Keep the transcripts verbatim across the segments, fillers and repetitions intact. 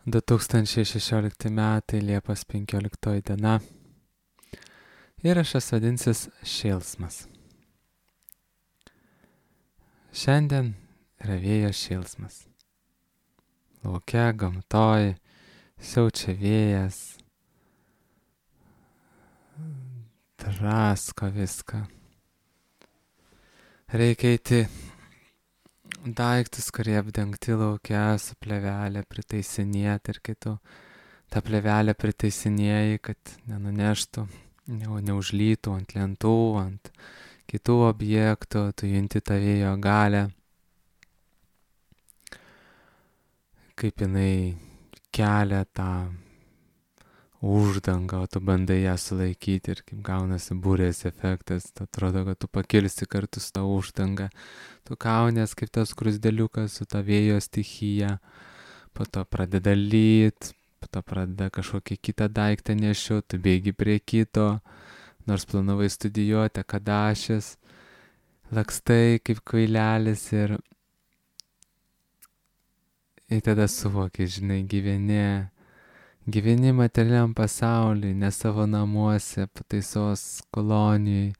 du tūkstančiai šešiolikti metai, Liepos penkioliktoji diena. Įrašas vadinsis Šėlsmas. Šiandien yra vėjo šėlsmas. Lauke, gamtoj, siaučia vėjas, drasko viską. Reikia eiti daiktus, kurie apdengti laukia, su plevelė pritaisinėti ir kai tu tą plevelę pritaisinėjai, kad nenuneštų, ne, neužlytų ant lentų, ant kitų objektų, tu junti tą vėjo galę, kaip jinai kelia tą uždangą, o tu bandai ją sulaikyti ir kaip gaunasi burės efektas, tu atrodo, kad tu pakilsi kartu su tą uždangą, tu kaunės kaip tas krusdeliukas su tą vėjo stichija, po to pradeda lyt, po to pradeda kažkokį kitą daiktą nešiu, tu bėgi prie kito, nors planavai studijuoti akadašės, lakstai kaip kvailelis ir, ir tada suvoki, žinai, gyveni, gyveni materialiam pasauliui, ne savo namuose, pataisos kolonijai,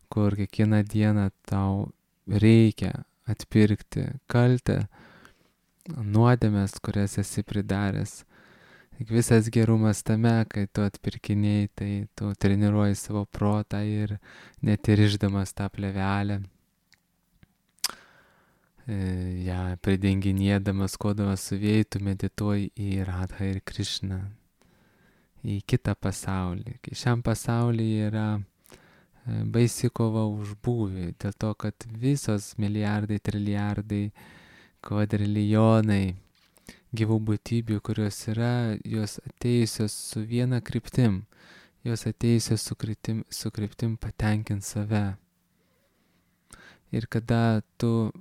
kur kiekvieną dieną tau reikia atpirkti kaltę, nuodėmes, kurias esi pridaręs. Tik visas gerumas tame, kai tu atpirkiniai, tai tu treniruoji savo protą ir net ir išdamas tą plevelę, ją pridenginėdamas, kodamas su vėju, tu medituoji į Radhą ir Krišną, į kitą pasaulį. Kai šiam pasaulyje yra baisi kova už būvį, dėl to, kad visos milijardai, trilijardai, kvadrilijonai gyvų būtybių, kurios yra, jos atėjusios su viena kryptim, jos atėjusios su kryptim, su kryptim patenkint save. Ir kada tu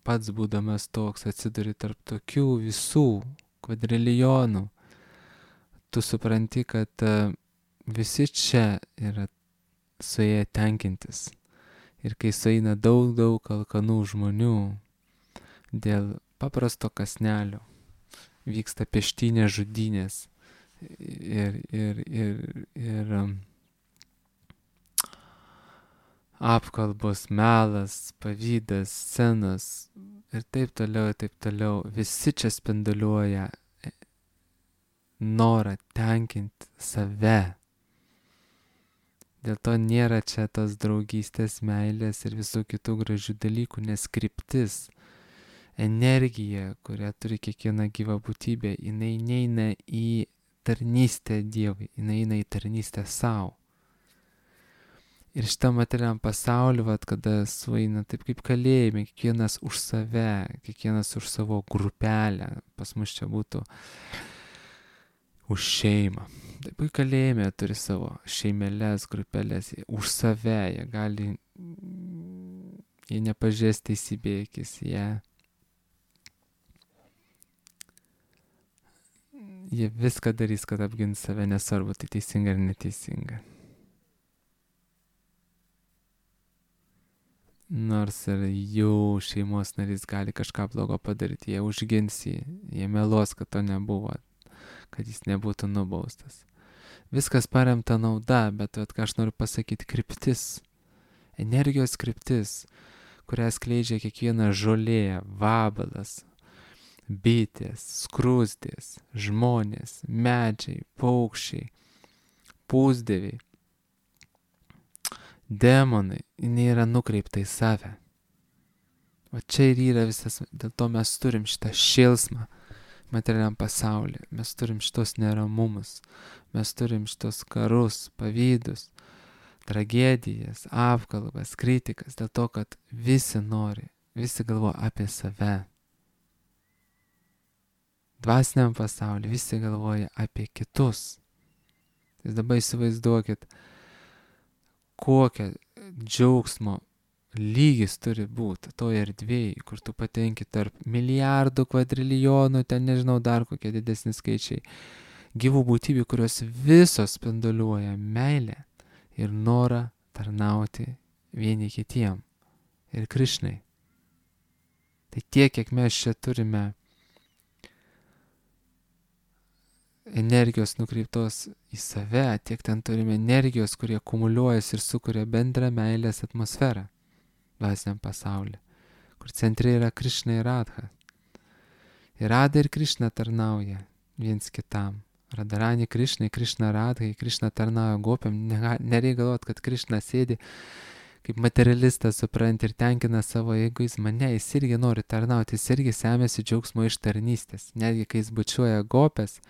pats būdamas toks atsiduri tarp tokių visų kvadrilijonų, tu supranti, kad visi čia yra suėję tenkintis. Ir kai sueina daug, daug alkanų žmonių dėl paprasto kąsnelio, vyksta peštynės žudynės ir, ir, ir, ir apkalbos, melas, pavydas, scenos ir taip toliau, ir taip toliau. Visi čia spinduliuoja norą tenkinti save. Dėl to nėra čia tos draugystės, meilės ir visų kitų gražių dalykų, nes kryptis, energija, kurią turi kiekviena gyva būtybė, jinai neina į tarnystę Dievui, jinai eina į tarnystę savo. Ir šitą materialiam pasaulį, vat, kada sueina taip kaip kalėjime, kiekvienas už save, kiekvienas už savo grupelę, pas mus čia būtų už šeimą. Taip kaip kalėjime turi savo šeimelės, grupelės, už save, jie gali, jie nepažės teisybėkis, jie Jie viską darys, kad apgins save, nesvarbu, tai teisinga ar neteisinga. Nors ir jų šeimos narys gali kažką blogo padaryti, jie užgins jį, jie meluos, kad to nebuvo, kad jis nebūtų nubaustas. Viskas paremta nauda, bet vat, ką aš noriu pasakyti, kryptis, energijos kryptis, kurią skleidžia kiekviena žolė, vabalas, bitės, skrusdės, žmonės, medžiai, paukščiai, pusdieviai, demonai, jinai yra nukreipta į save. O čia ir yra visas, dėl to mes turim šitą šėlsmą materialiam pasaulyje, mes turim šitos neramumus, mes turim šitos karus, pavydus, tragedijas, apkalbas, kritikas, dėl to, kad visi nori, visi galvoja apie save. Dvasiniam pasaulyje visi galvoja apie kitus. Tai dabar įsivaizduokit, kokia džiaugsmo lygis turi būti toje erdvėje, kur tu patenki tarp milijardų, kvadrilijonų, ten nežinau dar kokie didesni skaičiai, gyvų būtybių, kurios visos spinduliuoja meilę ir norą tarnauti vieni kitiem ir Krišnai. Tai tiek, kiek mes čia turime energijos nukreiptos į save, tiek ten turime energijos, kurie kumuliuojasi ir sukuria bendrą meilės atmosferą dvasiniam pasaulyje, kur centre yra Krišna ir Radha. Ir Radha ir Krišna tarnauja viens kitam. Radharani Krišnai, Krišna Radhai, Krišna tarnauja gopiam. Nereikia galvoti, kad Krišna sėdi kaip materialistas, suprant, ir tenkina savo egoizmą. Ne, jis irgi nori tarnauti, jis irgi semėsi džiaugsmo iš tarnystės. Netgi kai jis bučiuoja gopės,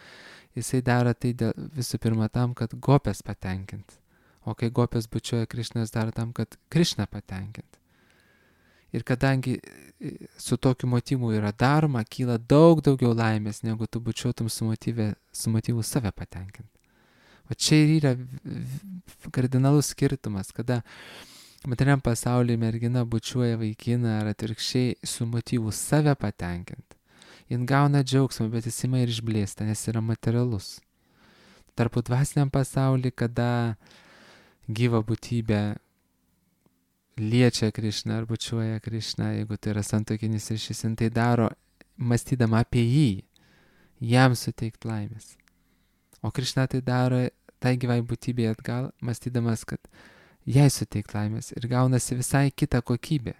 jisai daro tai dėl, visų pirma tam, kad gopės patenkint. O kai gopės bučiuoja Krišną, jis daro tam, kad Krišną patenkint. Ir kadangi su tokiu motyvu yra daroma, kyla daug daugiau laimės, negu tu bučiuotum su, motyvė, su motyvu save patenkinti. O čia ir yra kardinalus skirtumas, kada materialiam pasaulyje mergina bučiuoja vaikiną ar atvirkščiai su motyvu save patenkinti. Jin gauna džiaugsmą, bet jis ima ir išblėsta, nes yra materialus. Tarpu dvasiniam pasaulyje, kada gyva būtybė liečia Krišną ar bučiuoja Krišną, jeigu tai yra santuokinis ryšys, jin tai daro mąstydama apie jį, jam suteikti laimės. O Krišna tai daro tai gyvai būtybei atgal, mąstydamas, kad jai suteikti laimės, ir gaunasi visai kita kokybė.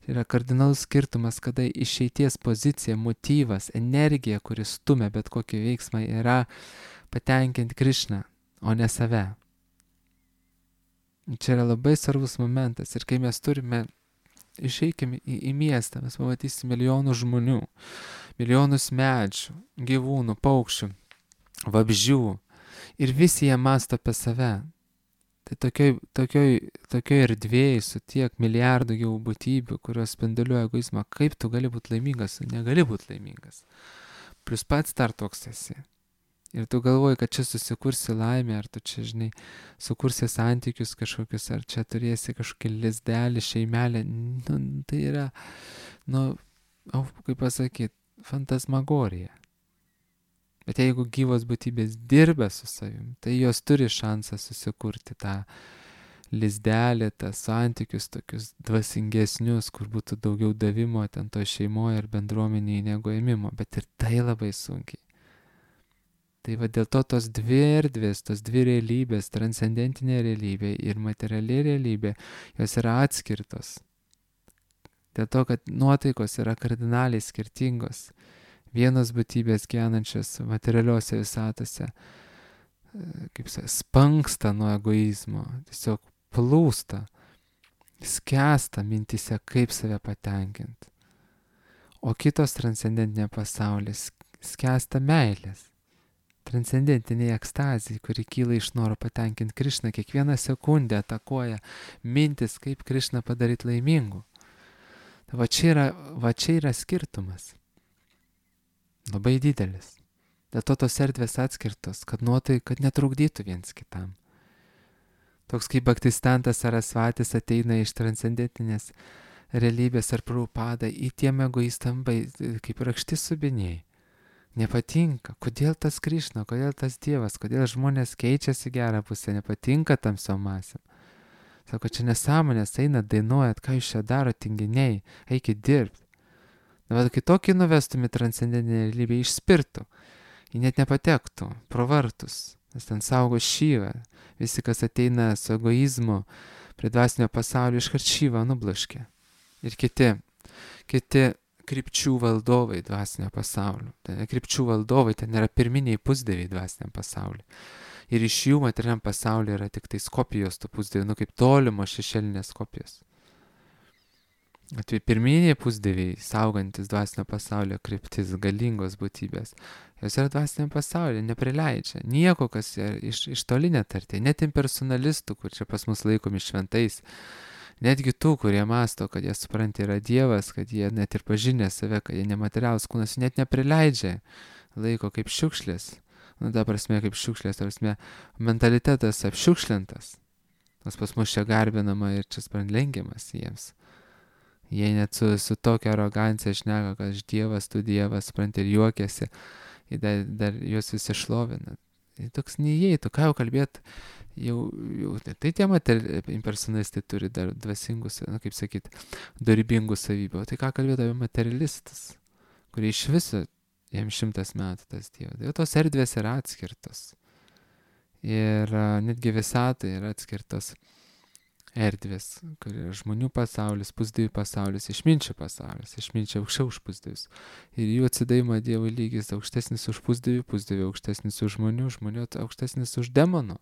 Tai yra kardinalus skirtumas, kada išeities pozicija, motyvas, energija, kuris stumia bet kokį veiksmą, yra patenkinti Krišną, o ne save. Čia yra labai svarbus momentas, ir kai mes turime, išeikime į, į miestą, mes pamatysime milijonų žmonių, milijonus medžių, gyvūnų, paukščių, vabzdžių, ir visi jie mąsto apie save. Tai tokioj, tokioj, tokioj erdvėj su tiek milijardų gyvų būtybių, kurios spinduliuoja egoizmą, kaip tu gali būti laimingas, negali būti laimingas. Plus pats dar toks esi. Ir tu galvoji, kad čia susikursi laimę, ar tu čia, žinai, sukursi santykius kažkokius, ar čia turėsi kažkokį lizdelį, šeimelę. Nu, tai yra, nu, kaip pasakyti, fantasmagorija. Bet jeigu gyvos būtybės dirba su savim, tai jos turi šansą susikurti tą lizdelį, tą santykius tokius dvasingesnius, kur būtų daugiau davimo ten to šeimoje ar bendruomenėje negu ėmimo. Bet ir tai labai sunkiai. Tai va dėl to tos dvi erdvės, tos dvi realybės, transcendentinė realybė ir materiali realybė, jos yra atskirtos. Dėl to, kad nuotaikos yra kardinaliai skirtingos. Vienos būtybės gyvenančios materialiuose visatose, kaip sakė, spanksta nuo egoizmo, tiesiog plūsta, skęsta mintise, kaip save patenkinti. O kitos transcendentinė pasaulis skęsta meilės. Transcendentiniai ekstazijai, kuri kyla iš noro patenkinti Krišną, kiekvieną sekundę atakuoja mintis, kaip Krišną padaryti laimingu. Tai va čia yra, va čia yra skirtumas. Labai didelis. Dėl to tos erdvės atskirtos, kad nuotai, kad netrukdytų viens kitam. Toks kaip Bhaktistantas Sarasvatis ateina iš transcendentinės realybės ar Prabhupada, į tiem egoistam kaip rakšti subiniai. Nepatinka. Kodėl tas Krišna, kodėl tas Dievas, kodėl žmonės keičiasi gerą pusę, nepatinka tam savo masėm. Sako, čia nesąmonės, eina, dainuojat, ką jūs čia daro, tinginiai, eikit dirbti. Na, bet kai tokį nuvestum į transcendentinę realybę, išspirtų, jį net nepatektų, pro vartus, nes ten saugo šyvą. Visi, kas ateina su egoizmu prie dvasinio pasaulio, iškart šyvą nublaškė. Ir kiti, kiti krypčių valdovai dvasinio pasaulio. Ten krypčių valdovai, ten yra pirminiai pusdieviai dvasiniam pasauliu. Ir iš jų materialiam pasauliu yra tik tai kopijos tų pusdievių, nu kaip tolimo šešėlinės kopijos. Tai pirminiai pusdieviai, saugantis dvasinio pasaulio kryptis, galingos būtybės, jos yra dvasiniam pasauliu, neprileidžia. Nieko, kas iš, iš toli netartė, net impersonalistų, kur čia pas mus laikomi šventais, netgi tų, kurie masto, kad jie supranti yra Dievas, kad jie net ir pažinė save, kad jie nematerialus kūnas, net neprileidžia, laiko kaip šiukšlės. Nu, ta prasme, kaip šiukšlės, ta prasme, mentalitetas apšiukšlintas. Nes pas mus čia garbinama ir čia sprant lenkiamas jiems. Jie net su, su tokia arogancija šneka, kad aš Dievas, tu Dievas, supranti, ir juokiasi, ir dar, dar juos visi šlovina. Tai toks neįeitų, ką jau kalbėt, jau, jau tai tie impersonalistai turi dar dvasingus, na, kaip sakyt, dorybingus savybių. O tai ką kalbėt apie materialistus, kurie iš viso, jam šimtas metų tas Dievas. Tai tos erdvės yra atskirtos. Ir netgi visatai yra atskirtos erdvės, kur yra žmonių pasaulis, pusdievių pasaulis, išminčių pasaulis, išminčiai aukščiau už pusdievius. Ir jų atsidavimo Dievui lygis aukštesnis už pusdievių, pusdievių aukštesnis už žmonių, žmonių aukštesnis už demonų.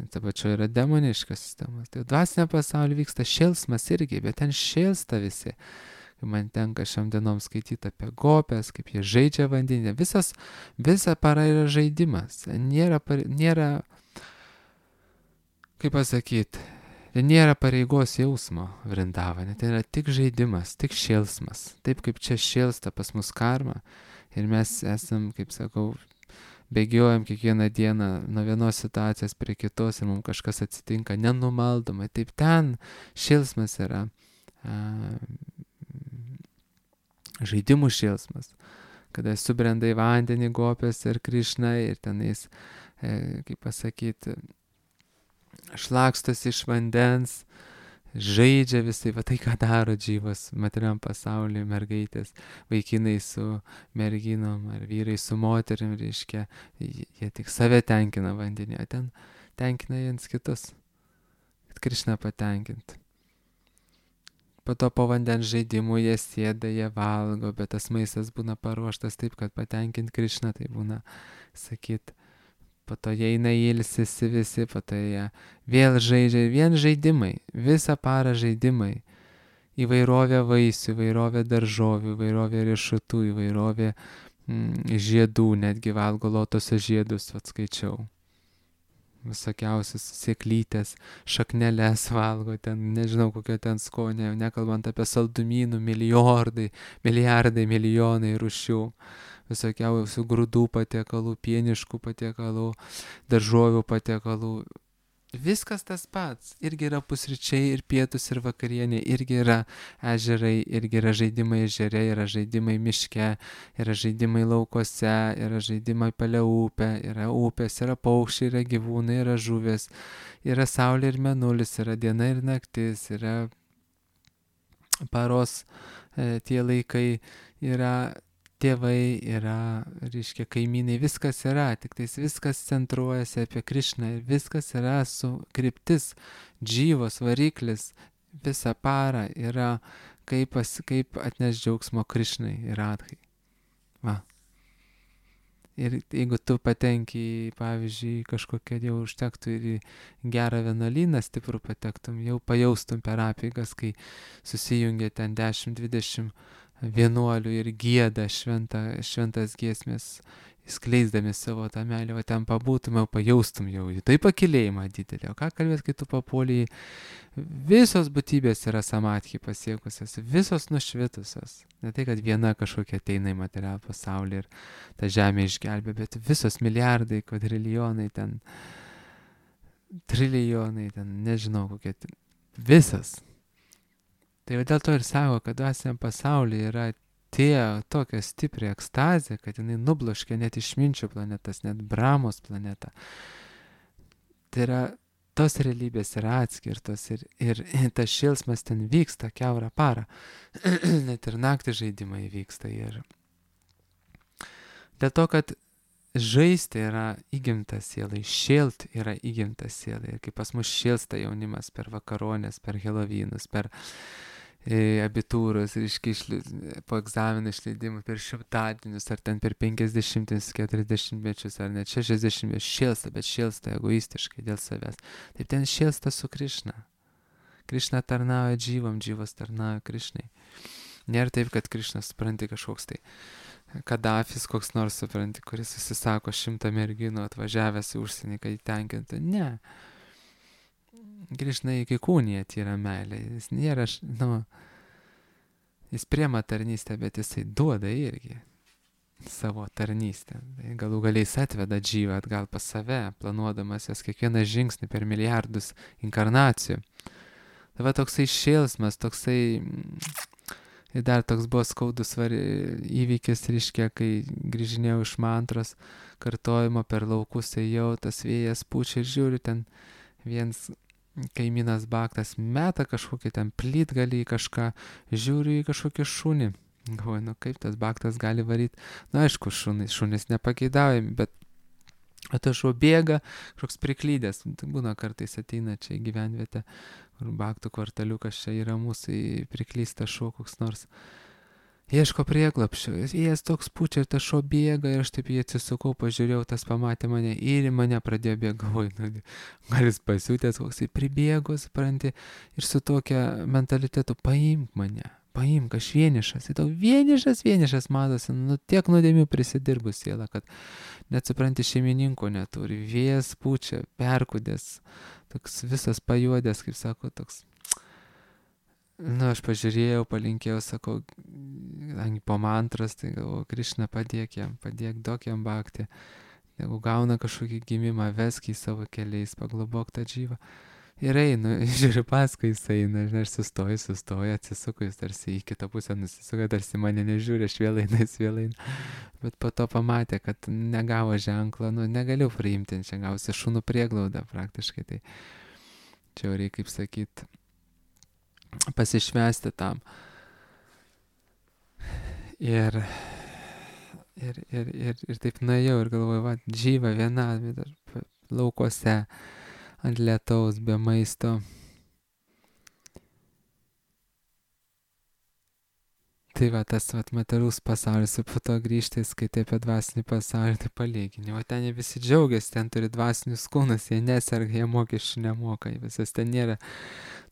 Ta pačia yra demoniška sistema. Tai dvasinė pasaulyje vyksta šėlsmas irgi, bet ten šėlsta visi. Man tenka šiam dienom skaityti apie gopės, kaip jie žaidžia vandenį. Visas, visa para yra žaidimas. Nėra, nėra kaip pasakyti, nėra pareigos jausmo Vrindavane. Tai yra tik žaidimas, tik šėlsmas. Taip kaip čia šėlsta pas mus karma. Ir mes esam, kaip sakau, bėgiojam kiekvieną dieną nuo vienos situacijos prie kitos ir mums kažkas atsitinka nenumaldomai. Taip ten šėlsmas yra. A, žaidimų šėlsmas, kada subrenda į vandenį gopės ir Krišna ir tenais, e, kaip pasakyti, šlakstos iš vandens, žaidžia visai, va tai ką daro džyvos materiam pasaulyje, mergaitės, vaikinai su merginom ar vyrai su moterim, reiškia, jie tik save tenkina vandenį, o ten tenkina jiems kitus, kad Krišna patenkintų. Po to po vandens žaidimų jie sėda, jie valgo, bet tas maistas būna paruoštas taip, kad patenkint Krišną, tai būna, sakyt, po to jie eina ilsisi visi, po to jie vėl žaidžia, vien žaidimai, visą parą žaidimai, įvairovė vaisių, įvairovė daržovių, įvairovė riešutų, įvairovė mm, žiedų, netgi valgo lotoso žiedus, atskaičiau. Visokiausias sėklytės, šakneles valgo, ten nežinau kokio ten skonio, nekalbant apie saldumynų, milijardai, milijardai, milijonai rūšių, visokiausių grūdų patiekalų, pieniškų patiekalų, daržovių patiekalų. Viskas tas pats, irgi yra pusryčiai ir pietus ir vakarienė, irgi yra ežerai, irgi yra žaidimai ežere, yra žaidimai miške, yra žaidimai laukose, yra žaidimai palei upę, yra upės, yra paukščiai, yra gyvūnai, yra žuvės, yra saulė ir mėnulis, yra diena ir naktis, yra paros e, tie laikai, yra tėvai, yra, reiškia, kaimynai, viskas yra, tik tais viskas centruojasi apie Krišną ir viskas yra su kryptis, džyvos, variklis, visą parą yra kaip, pas, kaip atneš džiaugsmo Krišnai ir Radhai. Va. Ir jeigu tu patenki, pavyzdžiui, kažkokia jau užtektų ir į gerą vienuolyną stiprų patektum, jau pajaustum per apeigas, kai susijungia ten dešimt dvidešimt vienuolių ir gieda šventa, šventas giesmės, skleisdami savo tą meilę, o ten pabūtum, jau pajaustum jau tai pakilėjimą didelį. O ką kalbėt, kai tu papuoliai, visos būtybės yra samadhi pasiekusios, visos nušvitusios. Ne tai, kad viena kažkokia ateina į materialų pasaulį ir tą žemę išgelbė, bet visos milijardai, kvadrilijonai ten, trilijonai ten, nežinau kokie, ten, visas. Tai dėl to ir sako, kad dvasiniam pasaulyje yra tie tokia stipri ekstazė, kad jinai nubloškia net išminčių planetas, net Brahmos planetą. Tai yra, tos realybės yra atskirtos ir, ir tas šėlsmas ten vyksta kiaurą parą. Net ir naktį žaidimai vyksta. Ir dėl to, kad žaisti yra įgimtas sielai, šėlt yra įgimtas sielai. Ir kaip pas mus šėlsta jaunimas per vakaronės, per Helovynus, per abitūros, reiškia, išli, po egzaminų išleidimų, per šimtadienius, ar ten per penkiasdešimtis, keturiasdešimtmečius, ar net šešiasdešimtmečius, šėlsta, bet šėlsta egoistiškai dėl savęs. Taip ten šėlsta su Krišna. Krišna tarnauja džyvam, džyvas tarnauja Krišnai. Nėra taip, kad Krišna supranti kažkoks tai Kadafis, koks nors supranti, kuris susisako šimtą merginų atvažiavęs į užsienį, kad įtenkintų. Ne. Krišna iki kūnija tyra meilė. Jis nėra, nu, jis priema tarnystę, bet jisai duoda irgi savo tarnystę. Tai galų galiais atveda džyvą atgal pas save, planuodamas jas kiekvieną žingsnį per milijardus inkarnacijų. Tai va toksai šėlsmas, toksai, ir dar toks buvo skaudus var, įvykis, reiškia, kai grįžinėjau iš mantros, kartojimo per laukus ėjau, tas vėjas pučia ir žiūriu, ten viens kaimynas baktas meta kažkokį ten plytgalį į kažką, žiūriu į kažkokį šunį, Galvoju, nu kaip tas baktas gali varyti. Na, aišku, šunys, šunys nepageidaujami, bet o tas šuo bėga, kažkoks priklydęs. Tai būna kartais ateina čia į gyvenvietę, kur baktų kvartaliukas čia yra mūsų priklystas šuo koks nors. Ieško prieglapščio, jis toks pučia ir tas šuo bėga ir aš taip jį atsisukau, pažiūrėjau, tas pamatė mane ir į mane pradėjo bėgti, galvoju, nu, gal jis pasiūtęs, koks jis pribėgo, supranti, ir su tokia mentalitetu, paimk mane, paimk, aš vienišas, tai tau vienišas, vienišas matosi, nu tiek nuodėmių prisidirbus siela, kad net supranti šeimininko neturi, vėjas pučia, perkudęs, toks visas pajuodęs, kaip sako, toks. Nu, aš pažiūrėjau, palinkėjau, sakau, po mantras, tai galvoju, Krišna, padėk jam, padėk, duok jam bhakti. Jeigu gauna kažkokį gimimą, vesk į savo keliais, paglobok tą džyvą. Ir einu, žiūriu paskui jis eina, žinai, aš sustoju, sustoju, atsisuku, jis tarsi į kitą pusę nusisuka, tarsi mane nežiūri, aš vėl einu, jis vėl eina. Bet po to pamatė, kad negavo ženklo, nu, negaliu priimti, čia gausi šunų prieglaudą praktiškai, tai čia jau reikia, kaip sakyt, pasišvęsti tam. Ir, ir, ir, ir, ir taip nuėjau ir galvoju, va, džyva viena, laukuose, ant lietaus, be maisto. Tai va, tas va, materialus pasaulis, ir po to grįžti, skaitai apie dvasinį pasaulį, tai palygini. O ten jie visi džiaugiasi, ten turi dvasinius kūnus, jie neserga, jie mokesčių nemoka, visas ten nėra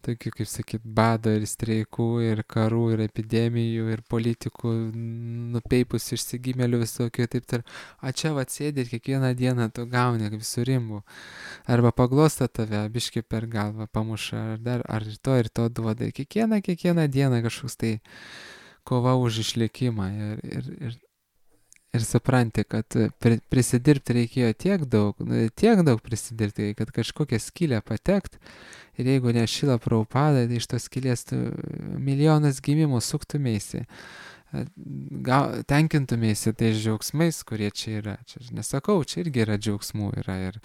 tokių, kaip sakyt, bado ir streikų, ir karų, ir epidemijų, ir politikų nupeipus išsigimėlių visokių, taip tar. O čia va sėdi ir kiekvieną dieną tu gauni kaip surimbų. Arba paglosta tave, biški per galvą pamuša, ar dar, ar ir to, ir to duoda. Ir kiekvieną, kiekvieną dieną kažkoks tai kova už išlikimą. Ir, ir, ir, ir supranti, kad pri, prisidirbti reikėjo tiek daug, tiek daug prisidirbti, kad kažkokią skylę patekt. Ir jeigu ne Šrila Prabhupada, tai iš tos skylės tu milijonas gimimų suktumėsi, tenkintumėsi tais džiaugsmais, kurie čia yra. Čia nesakau, čia irgi yra džiaugsmų, yra ir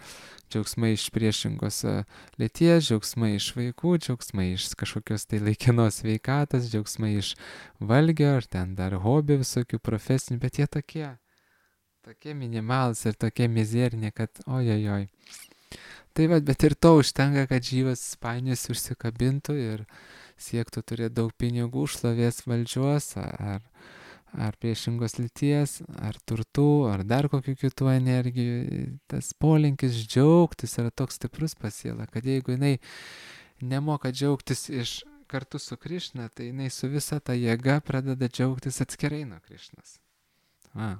džiaugsmai iš priešingos lyties, džiaugsmai iš vaikų, džiaugsmai iš kažkokios tai laikinos sveikatos, džiaugsmai iš valgio, ar ten dar hobių visokių profesinių, bet jie tokie, tokie minimalus ir tokie mizerni, kad ojojoj. Tai va, bet ir to užtenka, kad žyvas painius užsikabintų ir siektų turėti daug pinigų, šlovės, valdžios, ar, ar priešingos lyties, ar turtų, ar dar kokių kitų energijų. Tas polinkis džiaugtis yra toks stiprus pas sielą, kad jeigu jinai nemoka džiaugtis iš kartu su Krišna, tai jinai su visa ta jėga pradeda džiaugtis atskirai nuo Krišnos. A.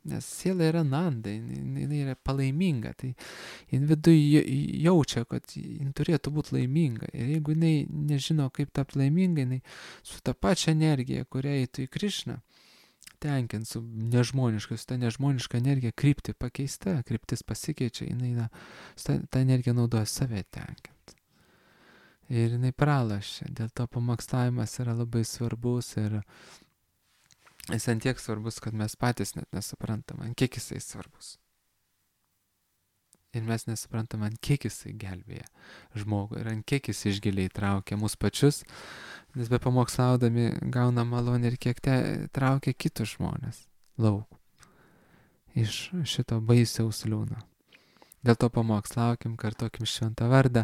Nes siela yra nanda, jinai, jinai yra palaiminga, tai jin viduje jaučia, kad jin turėtų būti laiminga. Ir jeigu jinai nežino, kaip tapti laiminga, jinai su tą pačią energiją, kurią eitų į Krišną, tenkint su nežmoniška, su ta nežmoniška energija krypti pakeista, kryptis pasikeičia, jinai na, ta, ta energija naudoja save tenkint. Ir jinai pralašia, dėl to pamokslavimas yra labai svarbus ir jis ant tiek svarbus, kad mes patys net nesuprantam, ant kiek jisai svarbus. Ir mes nesuprantam, ant kiek jisai gelbėja žmogų ir ant kiek jis išgiliai traukia mus pačius, nes be pamokslaudami gauna malonę ir kiek te traukia kitus žmonės lauk iš šito baisiaus liūno. Dėl to pamokslaukim, kartokim šventą vardą,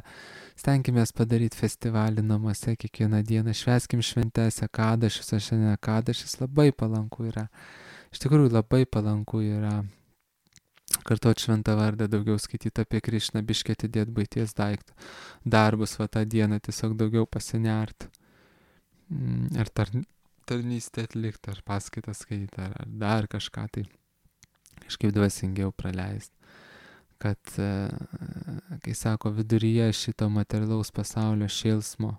stenkimės padaryti festivalį namuose kiekvieną dieną, švęskim šventes, ekadašis, o šiandien ekadašis labai palanku yra. Iš tikrųjų labai palanku yra kartoti šventą vardą, daugiau skaityti apie Krišną, biškį atidėti buities daiktų, darbus va tą dieną, tiesiog daugiau pasinert. Ar tar, tarnystę atlikti, ar paskaitą skaityti, ar, ar dar kažką tai kažkaip dvasingiau praleisti. Kad, kai sako, viduryje šito materialaus pasaulio šėlsmo,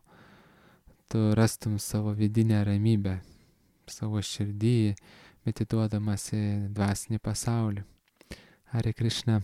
tu rastum savo vidinę ramybę, savo širdį, medituodamas į dvasinį pasaulį. Hare Krishna.